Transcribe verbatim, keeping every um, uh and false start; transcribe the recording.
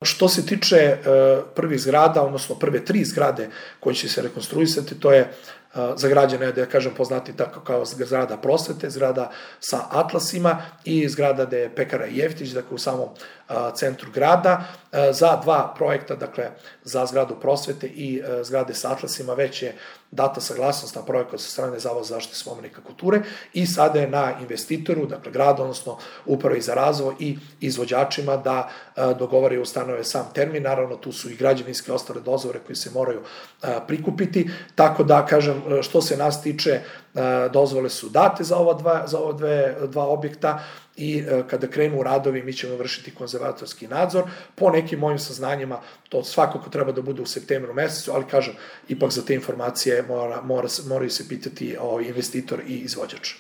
Što se tiče prvih zgrada, odnosno prve tri zgrade koje će se rekonstruisati, to je za građane, da kažem, poznati tako kao zgrada Prosvete, zgrada sa atlasima i zgrada gde je pekara Jeftić, dakle u samom centru grada. Za dva projekta, dakle za zgradu Prosvete i zgrade sa atlasima, već je data saglasnost na projekat sa strane Zavoda za zaštitu spomenika kulture i sada je na investitoru, dakle gradu, odnosno upravi za razvoj i izvođačima da dogovore i ustanove sam termin. Naravno, tu su i građevinske ostale dozvole koje se moraju prikupiti, tako da, kažem, što se nas tiče, dozvole su date za ova dva, za ova dve, dva objekta i kada krenu radovi mi ćemo vršiti konzervatorski nadzor. Po nekim mojim saznanjima to svakako treba da bude u septembru mesecu, ali kažem, ipak za te informacije mora, mora, moraju se pitati o investitor i izvođač.